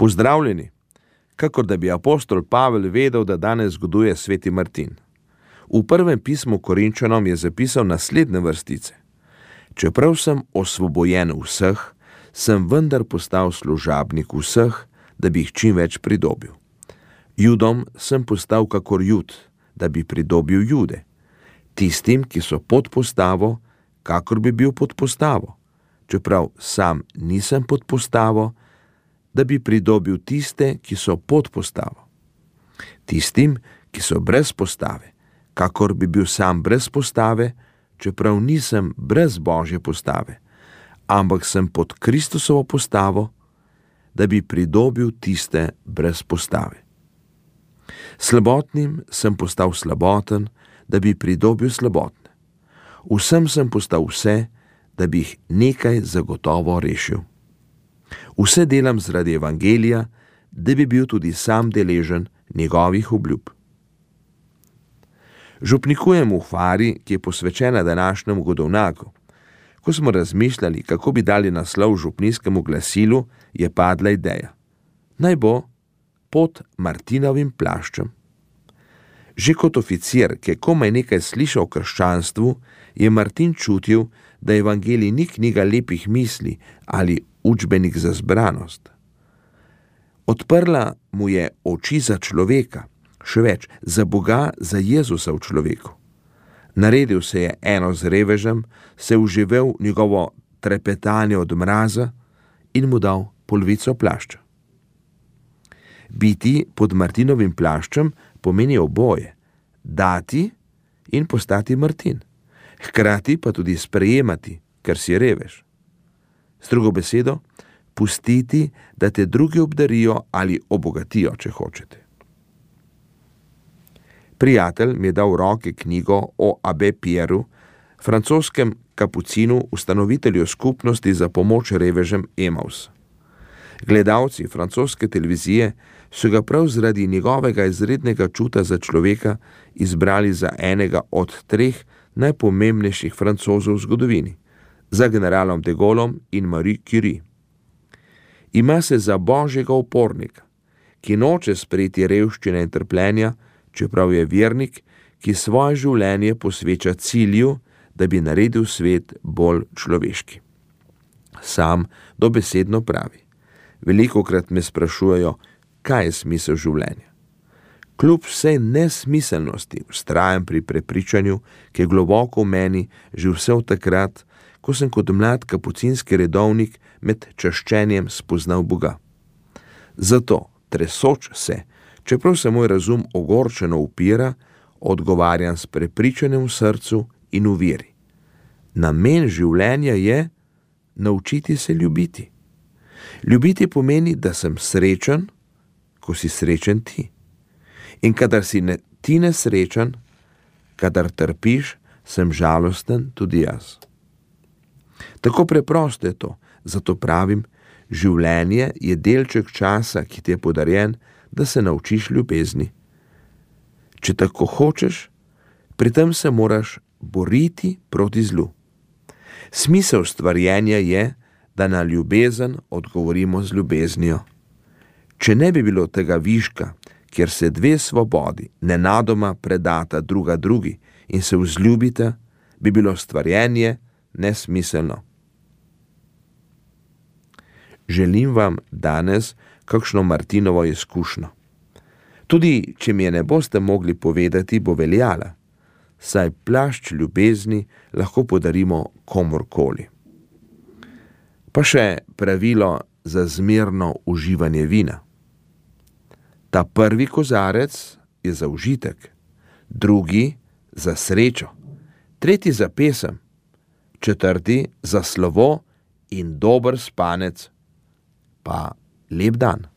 Pozdravljeni, kakor da bi apostol Pavel vedel, da danes zgoduje sveti Martin. V prvem pismu Korinčanom je zapisal naslednje vrstice. Čeprav sem osvobojen vseh, sem vendar postal služabnik vseh, da bi jih čim več pridobil. Judom sem postal kakor Jud, da bi pridobil Jude. Tistim, ki so pod postavo, kakor bi bil pod postavo. Čeprav sam nisem pod postavo, da bi pridobil tiste, ki so pod postavo. Tistim, ki so brez postave, kakor bi bil sam brez postave, čeprav nisem brez Božje postave, ampak sem pod Kristusovo postavo, da bi pridobil tiste brez postave. Slabotnim sem postal slaboten, da bi pridobil slabotne. Vsem sem postal vse, da bi jih nekaj zagotovo rešil. Vse delam zaradi evangelija, da bi bil tudi sam deležen njegovih obljub. Župnikujem v Fari, ki je posvečena današnjemu godovnaku. Ko smo razmišljali, kako bi dali naslov župnijskemu glasilu, je padla ideja. Naj bo pod Martinovim plaščem. Že kot oficir, ki je komaj nekaj slišal o krščanstvu, je Martin čutil, da evangelij ni knjiga lepih misli ali učbenik za zbranost. Odprla mu je oči za človeka, še več, za Boga, za Jezusa v človeku. Naredil se je eno z revežem, se uživel njegovo trepetanje od mraza in mu dal polovico plašča. Biti pod Martinovim plaščem pomeni oboje, dati in postati Martin, hkrati pa tudi sprejemati, ker si revež. S drugo besedo, pustiti, da te drugi obdarijo ali obogatijo, če hočete. Prijatelj mi je dal v roke knjigo o Abbé Pierru, francoskem kapucinu, ustanovitelju skupnosti za pomoč revežem Emaus. Gledalci francoske televizije so ga prav zaradi njegovega izrednega čuta za človeka izbrali za enega od 3 najpomembnejših Francozov v zgodovini, za generalom de Gaulom in Marie Curie. Ima se za božjega upornika, ki noče sprejeti revščine in trpljenja, čeprav je vernik, ki svoje življenje posveča cilju, da bi naredil svet bolj človeški. Sam dobesedno pravi. Velikokrat me sprašujejo, kaj je smisel življenja. Kljub vsej nesmiselnosti vztrajam pri prepričanju, ki je globoko v meni že vse od takrat, ko sem kot mlad kapucinski redovnik med čaščenjem spoznal Boga. Zato, tresoč se, čeprav se moj razum ogorčeno upira, odgovarjam s prepričanjem v srcu in v veri. Namen življenja je naučiti se ljubiti. Ljubiti pomeni, da sem srečen, ko si srečen ti. In kadar si ti nesrečen, kadar trpiš, sem žalosten tudi jaz. Tako preprosto je to, zato pravim, življenje je delček časa, ki ti je podarjen, da se naučiš ljubezni. Če tako hočeš, pri tem se moraš boriti proti zlu. Smisel stvarjenja je, da na ljubezen odgovorimo z ljubeznijo. Če ne bi bilo tega viška, kjer se 2 svobodi nenadoma predata druga drugi in se vzljubita, bi bilo stvarjenje nesmiselno. Želim vam danes kakšno Martinovo izkušnjo. Tudi, če mi je ne boste mogli povedati, bo veljala, saj plašč ljubezni lahko podarimo komurkoli. Pa še pravilo za zmerno uživanje vina. Ta prvi kozarec je za užitek, drugi za srečo, tretji za pesem, četrti za slovo in dober spanec. Pa lep dan.